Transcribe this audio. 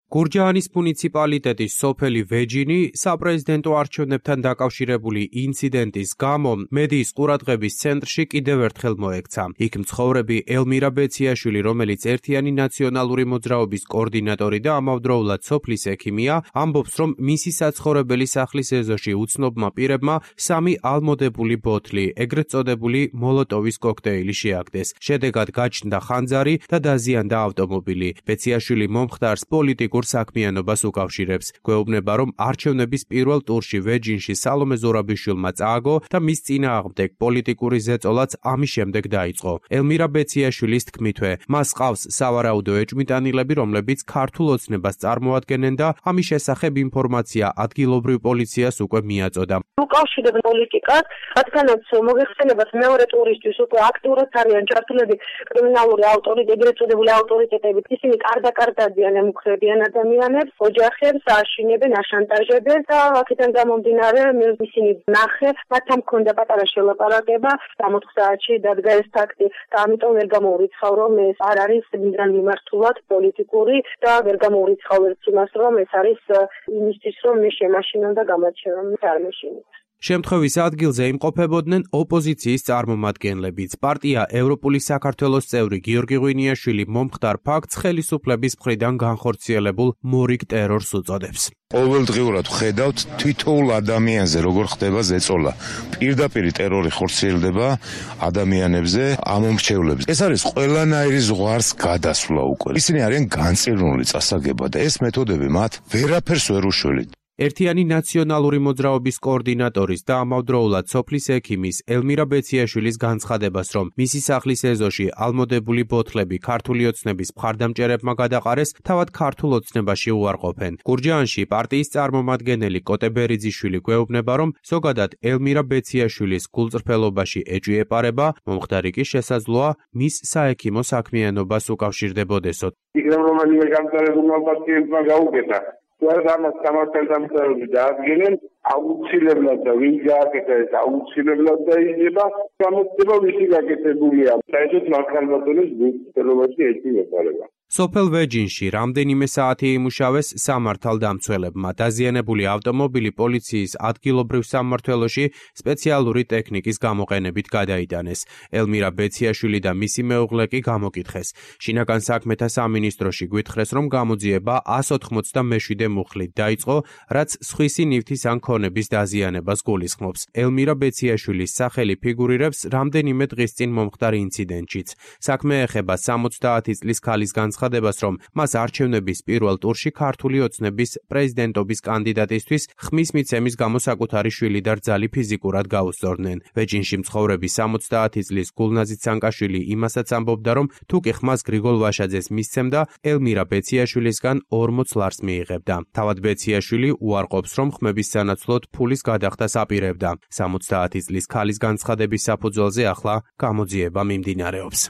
გურჯაანის მუნიციპალიტეტის სოფელი ვეჯინი საპრეზიდენტო არჩევნებთან დაკავშირებული ინციდენტის გამო მედიის ყურადღების ცენტრში კიდევ ერთხელ მოექცა. იქ მცხოვრები ელმირა ბეციაშვილი, რომელიც ერთიანი ნაციონალური მოძრაობის კოორდინატორი და ამავდროულად სოფლის ექიმია, ამბობს, რომ მისი საცხოვრებელი სახლის ეზოში უცნობმა პირებმა 3 ალმოდებული ბოთლი, ეგრეთ წოდებული მოლოტოვის კოქტეილი შეაგდეს. შედეგად გაჩნდა ხანძარი და დაზიანდა ავტომობილი. ბეციაშვილი მომხდარს პოლიტიკურ საქმიანობას უკავშირებს. გვეუბნება, რომ არჩევნების პირველ ტურში ვეჯინში სალომე ზურაბიშვილმა წააგო და მის წინააღმდეგ პოლიტიკური ზეწოლაც ამის შემდეგ დაიწყო. ელმირა ბეციაშვილის თქმითვე, მას ყავს სავარაუდო ეჭვმიტანილები, რომლებიც ქართულ ოცნებას წარმოადგენენ და ამის შესახებ ინფორმაცია ადგილობრივ პოლიციას უკვე მიაწოდა. უკავშირებენ პოლიტიკას, რადგანაც მოგეხსენებათ მეორე ტურისთვის უკვე აქტიურად არიან ჩართულები კრიმინალური ავტორიტეტები, ეგრეთ წოდებული ავტორიტეტები. ისინი კარდაკარდადიან ემუქრებიან ადამიანებს, ოჯახებს აშინებენ, აშანტაჟებენ და აქედან გამომდინარე ისინი ნახე, მათ ამ ქონდა პატარა შელაპარაკება 60 საათში დადგა ეს ფაქტი და ამიტომ ვერ გამოურიცხავ, რომ ეს არ არის მიზან მიმართულად პოლიტიკური და ვერ გამოურიცხავ იმას, რომ ეს არის იმისთვის, რომ მე შემაშინონ და გამაჩერონ არ მეშინოთ. შემთხვევის ადგილზე იმყოფებოდნენ ოპოზიციის წარმომადგენლებიც. პარტია ევროპული საქართველოს წევრი გიორგი ღვინიაშვილი მომხდარ ფაქტს ხელისუფლების მხრიდან განხორციელებულ მორიგ ტერორს უწოდებს. ყოველდღიურად ვხედავთ თითოეულ ადამიანზე როგორ ხდება ზეწოლა. პირდაპირ ტერორი ხორციელდება ადამიანებზე, ამომრჩევლებზე. ეს არის ყველანაირი ზღვარს გადასვლა უკვე. ისინი არიან განწირნული წასაგება და ეს მეთოდები მათ ვერაფერს ვერ უშველით. ერთიანი ნაციონალური მოძრაობის კოორდინატორის და ამავდროულად სოფლის ექიმის ელმირა ბეციაშვილის განცხადებას, რომ მისი სახლის ეზოში ალმოდებული ბოთლები ქართული ოცნების მხარდამჭერებმა გადაყარეს, თავად ქართულ ოცნებაში უარყოფენ. გურჯაანში პარტიის წარმომადგენელი კოტე ბერიძიშვილი გვეუბნება, რომ ზოგადად ელმირა ბეციაშვილის გულწრფელობაში ეჭვი ეპარება, მომხდარი კი შესაძლოა მის საექიმო საქმიანობას უკავშირდებოდესო. იქნებ რომელიმე გამწარებულმა პაციენტმა გაუკეთა. Where ამას სამართალდამცავები დაადგენენ, აუცილებლად და ვინ გააკეთა ეს აუცილებლად დაიდება, გამოწდება ვისი გაკეთებულია. საერთოდ მართლმადონის გულწრფელობაში ეჭვი ეპარება. სოფელ ვეჯინში რამდენიმე საათი იმუშავეს სამართალდამცველებმა. დაზიანებული ავტომობილი პოლიციის ადგილობრივ სამმართველოში სპეციალური ტექნიკის გამოყენებით გადაიტანეს. ელმირა ბეციაშვილი და მისი მეუღლე კი გამოკითხეს. შინაგან საქმეთა სამინისტროში გვითხრეს, რომ გამოძიება 187 მუხლით დაიწყო, რაც სხვისი ნივთის ან ქონების დაზიანებას გულისხმობს. ელმირა ბეციაშვილის სახელი ფიგურირებს რამდენიმე დღის წინ მომხდარ ინციდენტშიც. საქმე ეხება 70 წლის ქალის განცხადებას, რომ მას არჩევნების პირველ ტურში ქართული ოცნების პრეზიდენტობის კანდიდატისთვის ხმის მიცემის გამო საკუთარი შვილი და რძალი ფიზიკურად გაუსწორდნენ. ვეჯინში მცხოვრები 70 წლის გულნაზი ცანკაშვილი იმასაც ამბობდა, რომ თუ კი ხმას გრიგოლ ვაშაძეს მისცემდა, ელმირა ბეციაშვილისგან 40 ლარს მიიღებდა. თავად ბეციაშვილი უარყოფს, რომ ხმების სანაცვლოდ ფულის გადახდას აპირებდა. 70 წლის ქალის განცხადების საფუძველზე ახლა გამოძიება მიმდინარეობს.